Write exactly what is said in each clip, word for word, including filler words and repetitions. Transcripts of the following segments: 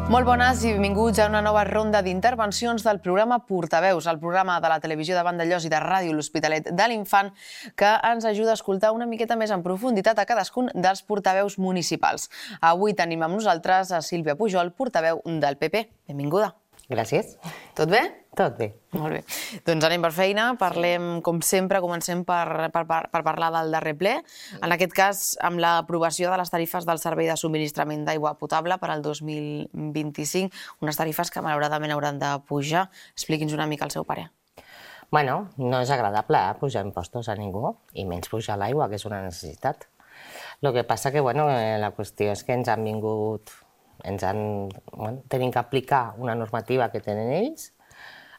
Molt bones i benvinguts a una nova ronda d'intervencions del programa Portaveus, el programa de la televisió de Vandellòs i de Ràdio L'Hospitalet de l'Infant, que ens ajuda a escoltar una miqueta més en profunditat a cadascun dels portaveus municipals. Avui tenim amb nosaltres a Sílvia Pujol, portaveu del P P. Benvinguda. Gràcies. Tot bé? Tot bé. Molt bé. Doncs anem per feina. Parlem, com sempre, comencem per, per, per parlar del darrer ple. En aquest cas, amb l'aprovació de les tarifes del servei de subministrament d'aigua potable per al dos mil vint-i-cinc, unes tarifes que malauradament hauran de pujar. Expliqui'ns una mica el seu parer. Bueno, no és agradable eh, pujar impostos a ningú, i menys pujar l'aigua, que és una necessitat. El que passa que, bueno, la qüestió és que ens han vingut... ens han... Bueno, tenim que aplicar una normativa que tenen ells,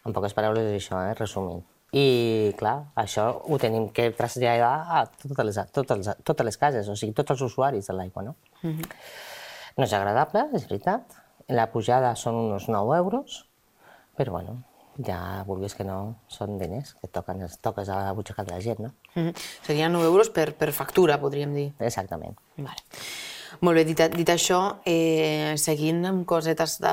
en poques paraules és això, eh, resumint. I, clar, això ho tenim que traslladar a totes les, totes, totes les cases, o sigui, tots els usuaris de l'aigua, no? Uh-huh. No és agradable, és veritat. La pujada són uns nou euros, però, bueno, ja vulguis que no, són diners que toquen, toques a la butxaca de la gent, no? Uh-huh. Serien nou euros per, per factura, podríem dir. Exactament. Vale. Molt bé, dit, dit això, eh, seguint amb cosetes de,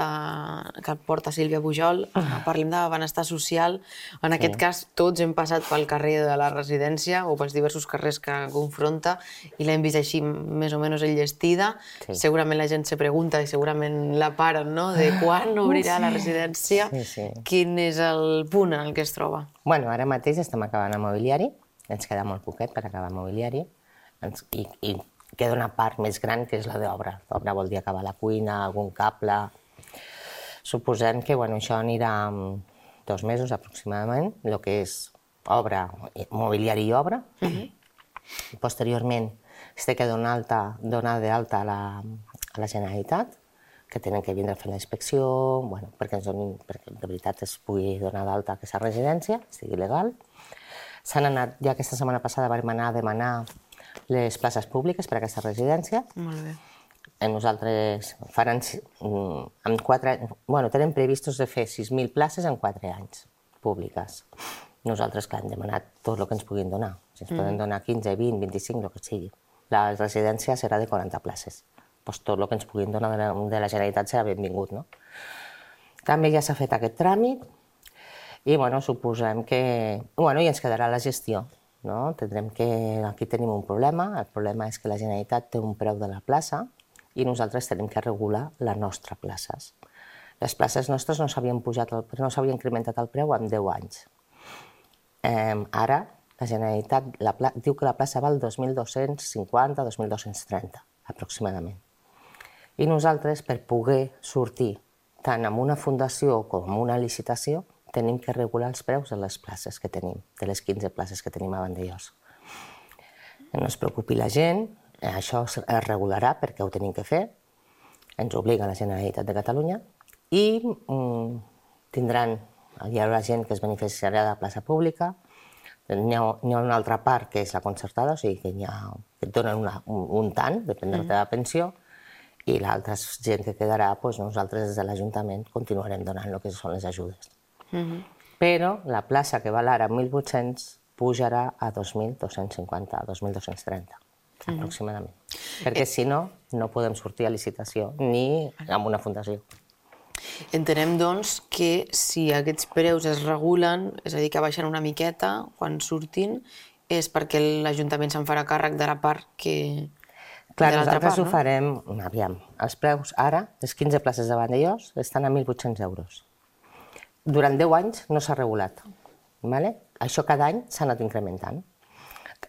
que porta Sílvia Pujol, eh, parlem de benestar social. En sí. Aquest cas, tots hem passat pel carrer de la residència o pels diversos carrers que confronta i l'hem vist així més o menys enllestida. Sí. Segurament la gent se pregunta i segurament la paren, no?, de quan obrirà sí. la residència. Sí, sí. Quin és el punt en el que es troba? Bueno, ara mateix estem acabant el mobiliari, ens queda molt poquet per acabar el mobiliari, ens, i, i queda una part més gran, que és la d'obra. L'obra vol dir acabar la cuina, algun cable... Suposem que bueno, això anirà dos mesos aproximadament, el que és obra, mobiliari i obra. Uh-huh. Posteriorment, es té que donar, alta, donar d'alta a, la, a la Generalitat, que tenen que vindre a fer la inspecció, bueno, perquè, ens donin, perquè de veritat es pugui donar d'alta a aquesta residència, sigui legal. S'han anat, ja aquesta setmana passada vam anar a demanar les places públiques per a aquesta residència. Molt bé. Nosaltres faran, en quatre, bueno, tenen previstos de fer sis mil places en quatre anys públiques. Nosaltres, clar, hem demanat tot el que ens puguin donar. Si ens mm. poden donar quinze, vint, vint-i-cinc, el que sigui. La residència serà de quaranta places. Pues tot el que ens puguin donar de la, de la Generalitat serà benvingut, no? També ja s'ha fet aquest tràmit i, bueno, suposem que... Bueno, i ens quedarà la gestió. No? Tindrem que... Aquí tenim un problema. El problema és que la Generalitat té un preu de la plaça i nosaltres tenim que regular les nostres places. Les places nostres no s'havien pujat, el... no s'havien incrementat el preu en deu anys. Eh, ara, la Generalitat la pla... diu que la plaça val dos mil dos-cents cinquanta, dos mil dos-cents trenta, aproximadament. I nosaltres, per poder sortir tant amb una fundació com amb una licitació, tenim que regular els preus de les places que tenim, de les quinze places que tenim a Vandellòs. No es preocupi la gent, això es regularà perquè ho tenim que fer, ens obliga la Generalitat de Catalunya, i mm, tindran, hi haurà gent que es beneficiarà de la plaça pública, n'hi ha, ha una altra part que és la concertada, o sigui que, ha, que et donen una, un, un tant, depèn de la teva pensió, i l'altra gent que quedarà, doncs nosaltres des de l'Ajuntament continuarem donant el que són les ajudes. Uh-huh. Però la plaça que val ara mil vuit-cents pujarà a dos mil dos-cents cinquanta, a dos mil dos-cents trenta, uh-huh. aproximadament. Perquè eh... si no, no podem sortir a licitació ni amb una fundació. Entenem, doncs, que si aquests preus es regulen, és a dir, que baixen una miqueta quan surtin, és perquè l'Ajuntament se'n farà càrrec de la part que... Clar, nosaltres ho farem... Aviam, els preus ara, les quinze places de Vandellòs, estan a mil vuit-cents euros. Durant deu anys no s'ha regulat. Vale? Això cada any s'ha anat incrementant.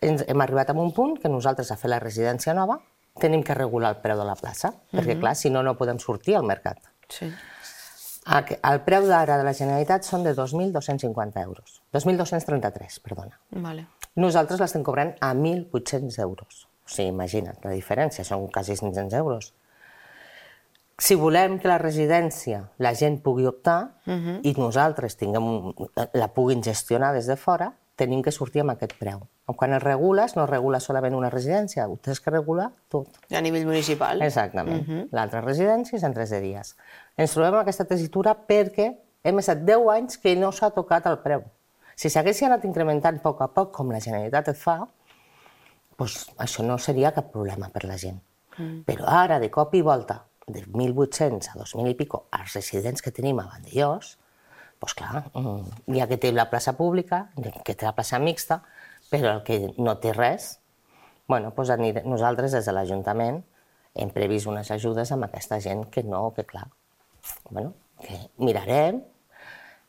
Hem arribat a un punt que nosaltres, a fer la residència nova, tenim que regular el preu de la plaça, uh-huh. perquè, clar, si no, no podem sortir al mercat. Sí. El preu d'ara de la Generalitat són de dos mil dos-cents cinquanta euros. dos mil dos-cents trenta-tres, perdona. Vale. Nosaltres l'estem cobrant a mil vuit-cents euros. O sigui, imagina't la diferència, són quasi cinc-cents euros. Si volem que la residència la gent pugui optar uh-huh. i nosaltres tinguem, la puguin gestionar des de fora, tenim que sortir amb aquest preu. Quan es regules, no regules solament una residència, ho tens que regular tot. A nivell municipal. Exactament. Uh-huh. L'altra residència és en tres de dies. Ens trobem amb aquesta tessitura perquè hem estat deu anys que no s'ha tocat el preu. Si s'haguessin anat incrementant a poc a poc, com la Generalitat et fa, doncs això no seria cap problema per la gent. Mm. Però ara, de cop i volta, de mil vuit-cents a dos mil i pico als residents que tenim a Vandellós, doncs clar, hi ha que té la plaça pública, que té la plaça mixta, però el que no té res, bueno, doncs nosaltres des de l'Ajuntament hem previst unes ajudes amb aquesta gent que no, que clar, bueno, que mirarem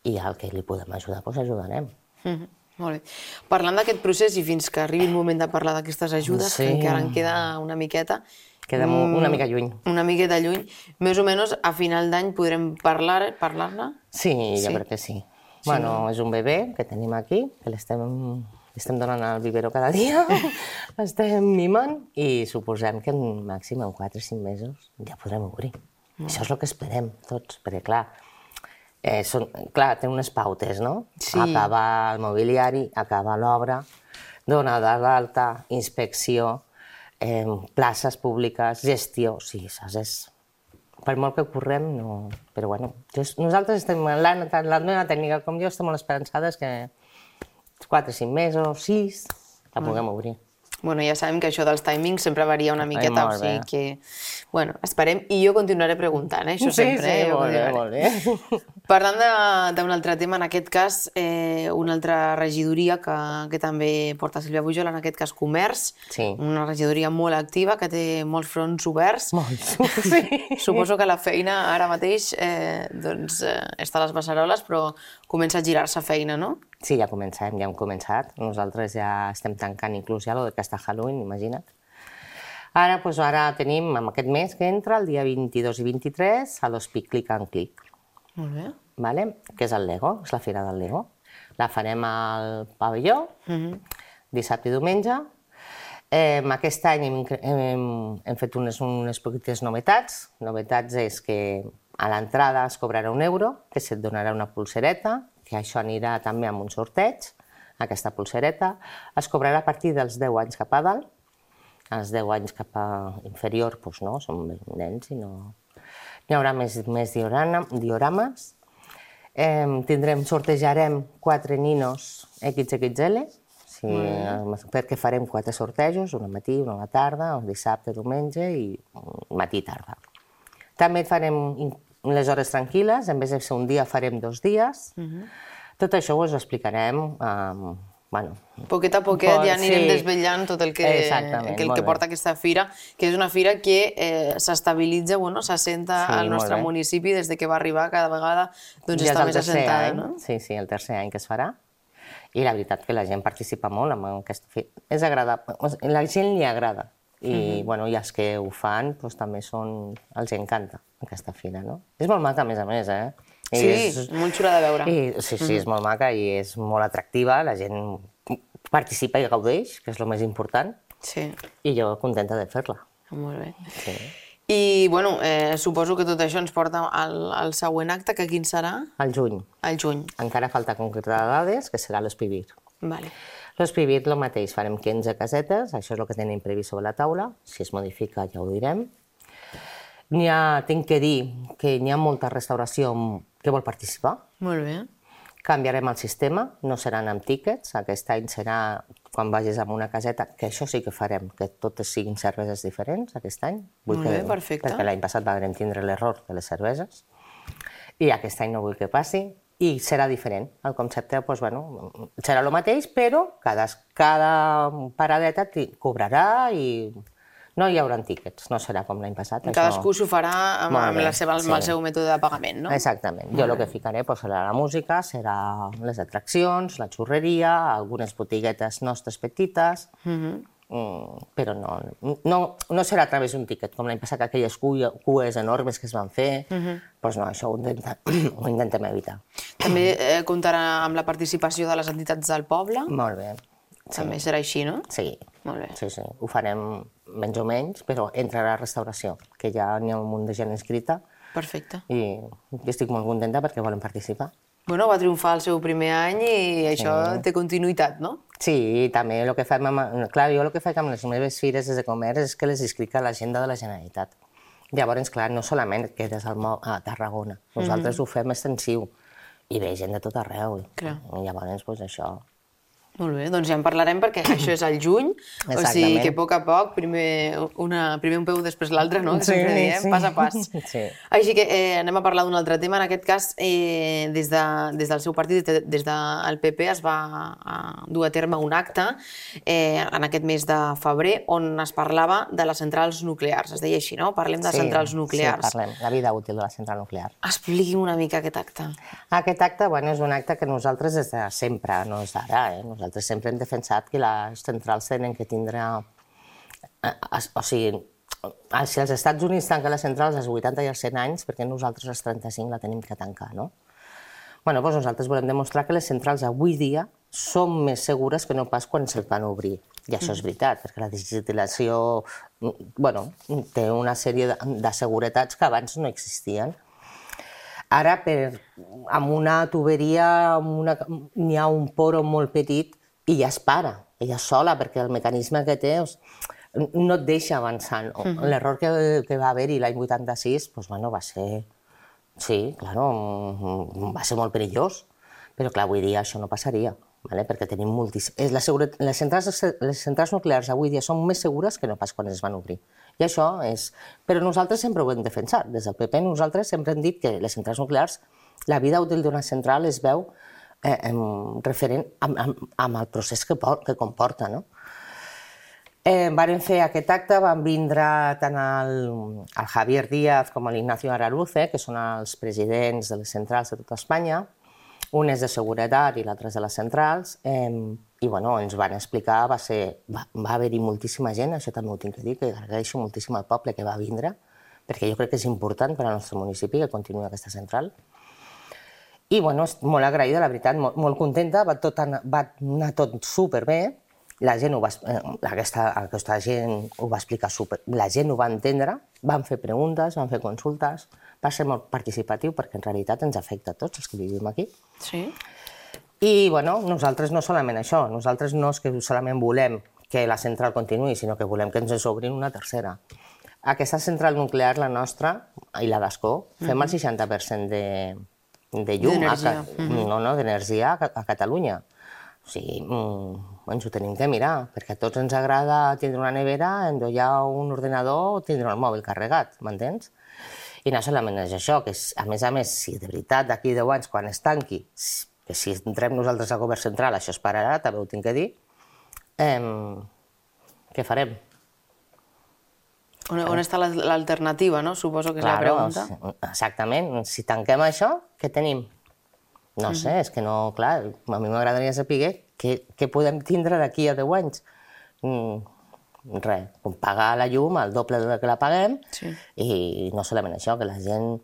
i al que li podem ajudar, doncs ajudarem. Mm-hmm. Molt bé. Parlant d'aquest procés i fins que arribi el moment de parlar d'aquestes ajudes, sí, que encara en queda una miqueta... Queda una mica lluny. Una miqueta lluny. Més o menys a final d'any podrem parlar-ne? Parlar sí, jo sí. crec que sí. sí bueno, no? És un bebè que tenim aquí, que l'estem estem donant al biberó cada dia, l'estem mimant i suposem que en màxim en quatre o cinc mesos ja podrem obrir. Mm. Això és el que esperem tots, perquè clar, Eh, són, clar, té unes pautes, no? Sí. Acabar el mobiliari, acabar l'obra, donar d'alta, inspecció, eh, places públiques, gestió, sí, saps? És... Per molt que correm, no... Però bueno, just, nosaltres estem, la, la meva tècnica com jo, estem molt esperançades que quatre o cinc mesos, sis, la puguem obrir. Bueno, ja sabem que això dels timings sempre varia una miqueta, Ai, o sigui que... Bueno, esperem, i jo continuaré preguntant, eh? Això sí, sempre. Sí, sí, molt bé, molt bé. Parlant d'un altre tema, en aquest cas, eh, una altra regidoria que, que també porta Sílvia Pujol, en aquest cas Comerç, sí. Una regidoria molt activa, que té molts fronts oberts. Molts, sí. Suposo que la feina ara mateix eh, doncs, eh, està a les beceroles, però comença a girar-se feina, no? Sí, ja comencem, ja hem començat. Nosaltres ja estem tancant inclús ja el que està Halloween, imagina't. Ara, doncs, ara tenim, en aquest mes que entra, el dia vint-i-dos i vint-i-tres, a l'Hospic Click and Click. Molt bé. Vale? Que és el Lego, és la fira del Lego. La farem al pavelló, uh-huh. dissabte i diumenge. Eh, aquest any hem, hem, hem fet unes, unes petites novetats. Novetats és que a l'entrada es cobrarà un euro, que se't donarà una pulsereta, que això anirà també amb un sorteig, aquesta pulsereta. Es cobrarà a partir dels deu anys cap a dalt. Els deu anys cap a inferior, doncs no, són nens i no... Hi haurà més, més diorama, diorames. Eh, tindrem, sortejarem quatre ninos equis equis ele, sí, mm. perquè farem quatre sortejos, un al matí, un a la tarda, un dissabte, diumenge i matí i tarda. També farem les hores tranquil·les, en vez de ser un dia farem dos dies. Mm-hmm. Tot això us ho explicarem. Eh, bueno, poquet a poquet pot, ja anirem sí. desvetllant tot el que, que, el que porta aquesta fira, que és una fira que eh, s'estabilitza, bueno, s'assenta sí, al nostre municipi des de que va arribar, cada vegada doncs, ja està més assentada. Any, no? Sí, sí, el tercer any que es farà. I la veritat que la gent participa molt amb aquesta fira. És agradable, la gent li agrada. I, mm-hmm. bueno, i els que ho fan doncs, també són... els encanta aquesta fira, no? És molt maca, a més a més, eh? I sí, és, molt xula de veure. I, sí, sí, mm-hmm. és molt maca i és molt atractiva, la gent participa i gaudeix, que és el més important, sí. I jo contenta de fer-la. Molt bé. Sí. I, bueno, eh, suposo que tot això ens porta al, al següent acte, que quin serà? Al juny. Al juny. Encara falta concretar dades, que serà l'Espivir. Vale. L'Espivir, el mateix, farem quinze casetes, això és el que tenim previst sobre la taula, si es modifica ja ho direm. N'hi ha, tinc que dir que n'hi ha molta restauració que vol participar. Molt bé. Canviarem el sistema, no seran amb tíquets, aquest any serà quan vagis a una caseta, que això sí que farem, que totes siguin cerveses diferents aquest any. Molt bé, perfecte. Perquè l'any passat vam tindre l'error de les cerveses, i aquest any no vull que passi, i serà diferent. El concepte doncs, bueno, serà el mateix, però cada, cada paradeta cobrarà i... No hi haurà tíquets, no serà com l'any passat. Cadascú s'ho farà amb, amb, la seva, amb sí. el seu mètode de pagament, no? Exactament. Jo el que ficaré doncs, serà la música, serà les atraccions, la xurreria, algunes botiguetes nostres petites, mm-hmm. mm, però no, no, no serà a través d'un tíquet, com l'any passat, aquelles cues enormes que es van fer, mm-hmm. doncs no, això ho intentem, ho intentem evitar. També eh, comptarà amb la participació de les entitats del poble? Molt bé. Sí. També serà així, no? Sí. Molt bé. Sí, sí. Ho farem menys o menys, però entrarà a restauració, que ja n'hi ha un munt de gent inscrita. Perfecte. I estic molt contenta perquè volen participar. Bueno, va triomfar el seu primer any i això sí. té continuïtat, no? Sí, i també el que fem amb... Clar, jo el que faig amb les meves fires de comerç és que les inscric a l'agenda de la Generalitat. Llavors, clar, no solament quedes a Tarragona, nosaltres mm-hmm. ho fem extensiu i ve gent de tot arreu. Clar. I llavors, doncs, això... Molt bé, doncs ja en parlarem perquè això és al juny, o sigui que a poc a poc, primer, una, primer un peu, després l'altre, no? Que sempre diem, pas a pas. Sí. Així que eh, anem a parlar d'un altre tema. En aquest cas, eh, des, de, des del seu partit, des del P P, es va a dur a terme un acte eh, en aquest mes de febrer on es parlava de les centrals nuclears. Es deia així, no? Parlem de sí, centrals nuclears. Sí, parlem, la vida útil de la central nuclear. Expliqui'm una mica aquest acte. Aquest acte, bueno, és un acte que nosaltres des de sempre, no és d'ara, eh? Nosaltres sempre hem defensat que les centrals tenen que tindre... O sigui, si els Estats Units tanquen les centrals als vuitanta i als cent anys, perquè nosaltres als trenta-cinc la tenim que tancar, no? Bueno, doncs nosaltres volem demostrar que les centrals avui dia són més segures que no pas quan se'ls van obrir. I això és veritat, perquè la digitalització bueno, té una sèrie de, de seguretats que abans no existien. Ara, per, amb una tuberia, n'hi ha un poro molt petit i ja es para, ella sola, perquè el mecanisme que té no et deixa avançar. No? Uh -huh. L'error que, que va haver-hi l'any vuitanta-sis doncs, bueno, va ser... Sí, claro, va ser molt perillós, però clar, avui dia això no passaria, ¿vale? Perquè tenim moltíssim... La seguretat... les, centrals, les centrals nuclears avui dia són més segures que no pas quan es van obrir. I això és... Però nosaltres sempre ho hem defensat. Des del P P nosaltres sempre hem dit que les centrals nuclears, la vida útil d'una central es veu eh, referent amb, amb, amb el procés que, que comporta, no? Eh, varen fer aquest acte, van vindre tant el, el Javier Díaz com l'Ignacio Araluce, que són els presidents de les centrals de tota Espanya. Un és de seguretat i l'altre és de les centrals. Eh, I bueno, ens van explicar, va, ser, va, va haver-hi moltíssima gent, això també ho tinc que dir, que agraeixo moltíssim al poble que va vindre, perquè jo crec que és important per al nostre municipi que continuï aquesta central. I bueno, molt agraïda, la veritat, molt, molt contenta, va, tot anar, va anar tot superbé. La gent ho va, aquesta, aquesta gent ho va explicar super, la gent ho va entendre, van fer preguntes, van fer consultes, va ser molt participatiu perquè en realitat ens afecta a tots els que vivim aquí. Sí. I bueno, nosaltres no solament això, nosaltres no és que solament volem que la central continuï, sinó que volem que ens obrin una tercera. Aquesta central nuclear, la nostra, i la d'Ascó, fem el seixanta per cent de, de llum, d'energia. No, no, d'energia a, a Catalunya. O sigui, ens ho tenim que mirar, perquè a tots ens agrada tindre una nevera, endollar un ordenador o tindre el mòbil carregat, m'entens? I no solament és això, que a més a més, si de veritat d'aquí deu anys, quan es tanqui, que si entrem nosaltres al govern central això es pararà, també ho tinc que dir, eh, què farem? On, on està l'alternativa, no? Suposo que és la pregunta. Exactament. Si tanquem això, què tenim? No sé, és que no, clar, a mi m'agradaria saber què, què podem tindre d'aquí a deu anys. Mm, res, pagar la llum el doble del que la paguem, sí. I no solament això, que la gent,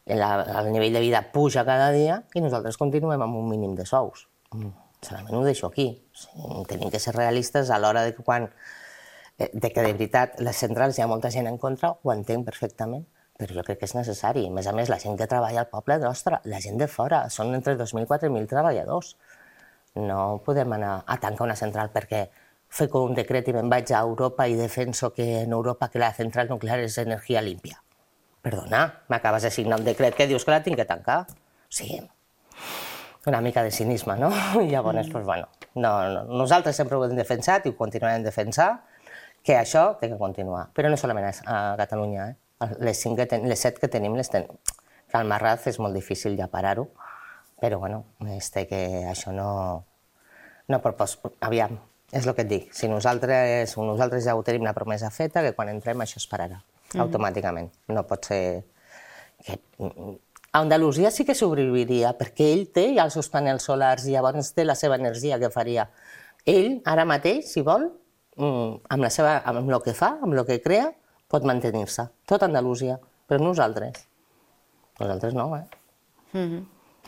la, el nivell de vida puja cada dia i nosaltres continuem amb un mínim de sous. Mm, solament ho deixo aquí. O sigui, tenim que ser realistes a l'hora de que quan de que de veritat les centrals hi ha molta gent en contra, ho entenc perfectament, però jo crec que és necessari. A més a més, la gent que treballa al poble nostre, la gent de fora, són entre dos mil i quatre mil treballadors. No podem anar a tancar una central perquè fer un decret i me'n vaig a Europa i defenso que en Europa que la central nuclear és energia límpia. Perdona, m'acabes de signar un decret que dius que la tinc que tancar. O sigui, una mica de cinisme, no? I llavors, doncs, bueno, no, no, nosaltres sempre ho hem defensat i ho continuarem defensar, que això té que continuar. Però no solament a Catalunya, eh? Les, cinc que ten, les set que tenim, les ten... que al Marraz és molt difícil ja parar-ho, però bueno, este, que això no... no propos... Aviam, és el que et dic, si nosaltres, nosaltres ja ho tenim la promesa feta, que quan entrem això es pararà, mm-hmm. automàticament. No pot ser... Que... A Andalusia sí que sobreviviria, perquè ell té ja els seus panels solars i llavors té la seva energia que faria. Ell, ara mateix, si vol, amb, la seva, amb el que fa, amb el que crea, pot mantenir-se. Tot Andalusia, però nosaltres. Nosaltres no, eh? Mm-hmm.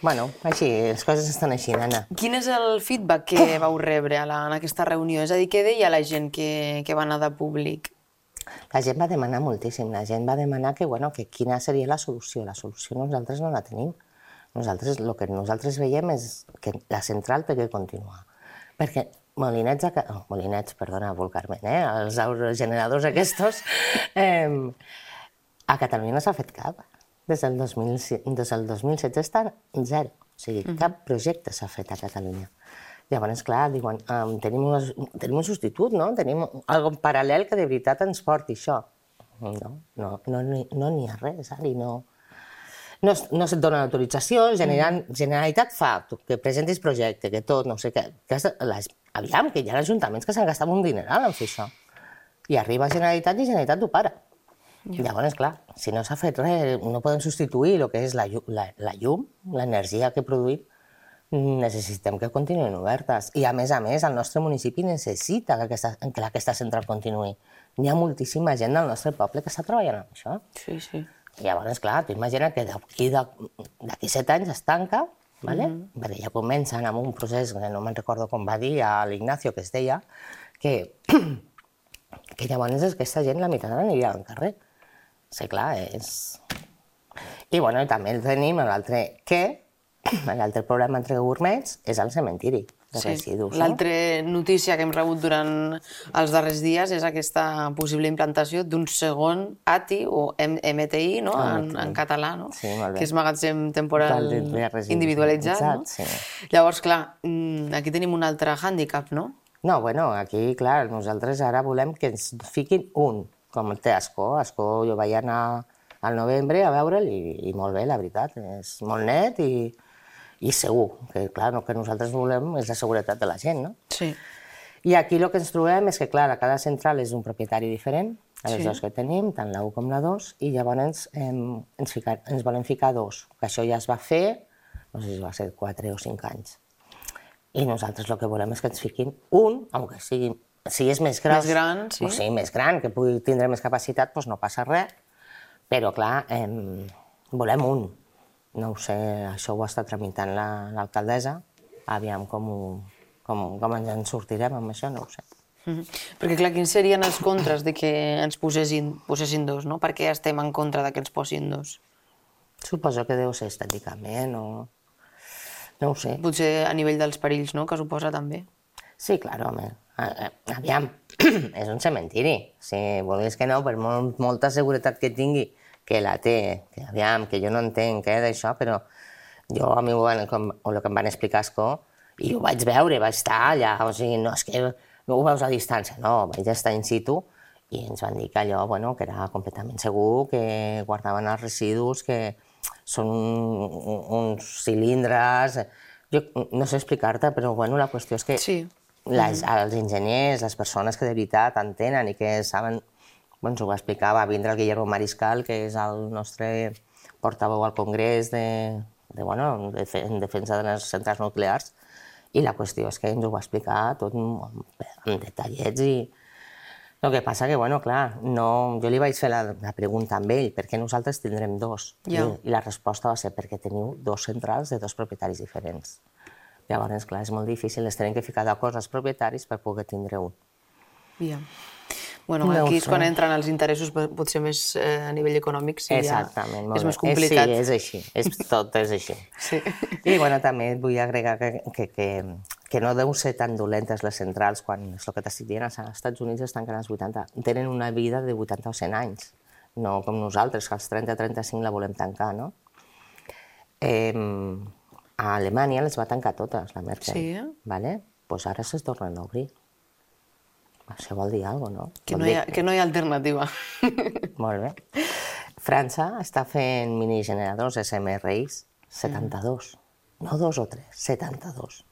Bueno, així, les coses estan així, nana. Quin és el feedback que vau rebre a la, en aquesta reunió? És a dir, què deia la gent que, que va anar de públic? La gent va demanar moltíssim. La gent va demanar que, bueno, que quina seria la solució. La solució nosaltres no la tenim. Nosaltres, el que nosaltres veiem és que la central té que continuar. Perquè molinets, a... oh, molinets, perdona, vulgarment, eh? Els aerogeneradors aquests, eh, a Catalunya no s'ha fet cap. Des del dos mil, des del dos mil setze estan zero. O sigui, cap projecte s'ha fet a Catalunya. Llavors, clar, diuen, um, tenim, unes, tenim un substitut, no? Tenim algo paral·lel que de veritat ens porti això. No, no, no, no n'hi ha res, Ari, no. No, no se't dona l'autorització, Generalitat fa que presentis projecte, que tot, no sé què. Que les, aviam, que hi ha ajuntaments que s'han gastat un dineral en fer això. I arriba Generalitat i Generalitat ho para. Ja. Llavors, clar, si no s'ha fet res, no podem substituir el que és la, la, la llum, l'energia que produïm, necessitem que continuïn obertes. I, a més a més, el nostre municipi necessita que aquesta, que aquesta central continuï. Hi ha moltíssima gent del nostre poble que està treballant en això. Sí, sí. I llavors, clar, tu imagina't que d'aquí set anys es tanca, ¿vale? Mm-hmm. perquè ja comencen amb un procés, que no me'n recordo com va dir a l'Ignacio, que es deia, que, que llavors aquesta gent, la meitat aniria al carrer. Sí, clar, és... I, bueno, també tenim l'altre que l'altre problema entre gourmets és el cementiri de sí. residus. L'altra no? notícia que hem rebut durant els darrers dies és aquesta possible implantació d'un segon A T I o M T I, no? en, en català, no? Sí, que és magatzem temporal individualitzat. No? Sí. Llavors, clar, aquí tenim un altre hàndicap, no? No, bueno, aquí, clar, nosaltres ara volem que ens fiquin un, com té Ascó. Ascó jo vaig anar al novembre a veure'l i, i molt bé, la veritat. És molt net i... i segur, que clar, el que nosaltres volem és la seguretat de la gent, no? Sí. I aquí el que ens trobem és que, clar, cada central és un propietari diferent, a les sí. dues que tenim, tant la u com la dos, i llavors eh, ens, ficar, ens volem ficar dos, que això ja es va fer, no sé si va ser quatre o cinc anys. I nosaltres el que volem és que ens fiquin un, aunque sigui, si és més gros, més gran, sí. o sigui, més gran, que pugui tindre més capacitat, doncs no passa res, però, clar, eh, volem un. No ho sé, això ho està tramitant l'alcaldessa, aviam com, ho, com, com ens en sortirem amb això, no ho sé. Mm-hmm. Perquè, clar, quins serien els contres de que ens posessin, posessin dos, no? Per què estem en contra de que ens posin dos? Suposo que deu ser estèticament o... no ho sé. Potser a nivell dels perills, no?, que suposa també. Sí, clar, home. Aviam, és un cementiri. Si volgués que no, per molt, molta seguretat que tingui, que la té, que aviam, que jo no entenc què d'això, però jo a mi ho, com, o el que em van explicar Ascó, i ho vaig veure, vaig estar allà, o sigui, no és que no ho veus a distància, no, vaig estar in situ i ens van dir que allò, bueno, que era completament segur, que guardaven els residus, que són uns cilindres... Jo no sé explicar-te, però bueno, la qüestió és que sí. les, els enginyers, les persones que de veritat entenen i que saben... Bueno, ens ho va explicar, va vindre el Guillermo Mariscal, que és el nostre portaveu al Congrés de, de, bueno, de, en defensa de les centrals nuclears, i la qüestió és que ens ho va explicar tot en, en detallets i... El que passa que, bueno, clar, no... jo li vaig fer la, la pregunta amb ell, per què nosaltres tindrem dos? Ja. I, I la resposta va ser perquè teniu dos centrals de dos propietaris diferents. Llavors, clar, és molt difícil, les tenim que ficar d'acord els propietaris per poder tindre un. Ja. Bueno, aquí és quan entren els interessos potser més eh, a nivell econòmic, sí, exactament, ja és més complicat. Sí, és així, és, tot és així. Sí. I bueno, també et vull agregar que, que, que, que no deu ser tan dolentes les centrals quan, és el que t'estic dient, als Estats Units es tanquen als vuitanta, tenen una vida de vuitanta o cent anys, no com nosaltres, que als trenta a trenta-cinc la volem tancar, no? Eh, a Alemanya les va tancar totes, la Merkel, sí. ¿vale? Pues ara es tornen a obrir. Això vol dir alguna cosa, no? Que no, hi ha, que no hi ha alternativa. Molt bé. França està fent minigeneradors S M R Is setanta-dos. Mm. No dos o tres, setanta-dos.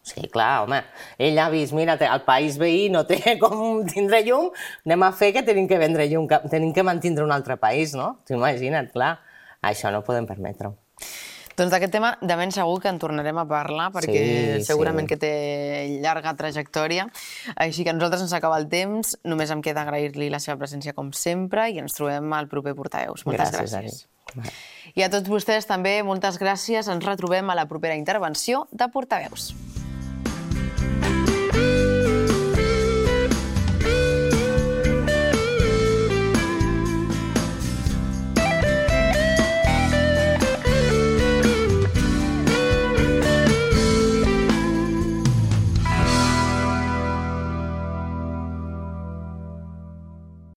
Sí, clar, home, ell ha vist, mira, el país veí no té com tindre llum, anem a fer que tenim que vendre llum, que tenim que mantindre un altre país, no? T'imagina't, clar, això no podem permetre-ho. Doncs d'aquest tema de ben segur que en tornarem a parlar, perquè sí, segurament sí. que té llarga trajectòria. Així que a nosaltres ens acaba el temps, només em queda agrair-li la seva presència com sempre i ens trobem al proper Portaveus. Moltes gràcies. gràcies. I a tots vostès també, moltes gràcies. Ens retrobem a la propera intervenció de Portaveus.